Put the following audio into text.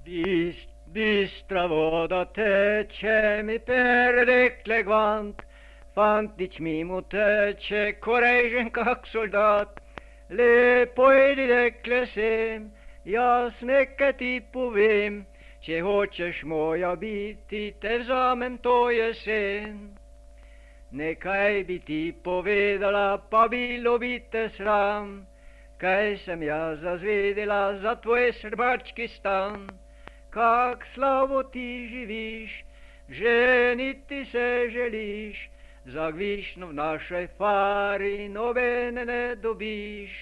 Bistra voda teče mi per rekle gvant, fantić mimo teče, korežen kak soldat. Lepo idi rekle sem, jaz nekaj ti povem, če hočeš moja biti, te vzamem to jesen. Nekaj bi ti povedala, pa bilo bi te sram, kaj sem jaz zazvedela za tvoj srbački stan. Kak slavo ti živiš, ženiti se želiš, za gvišno v našoj fari nobene ne dobiš.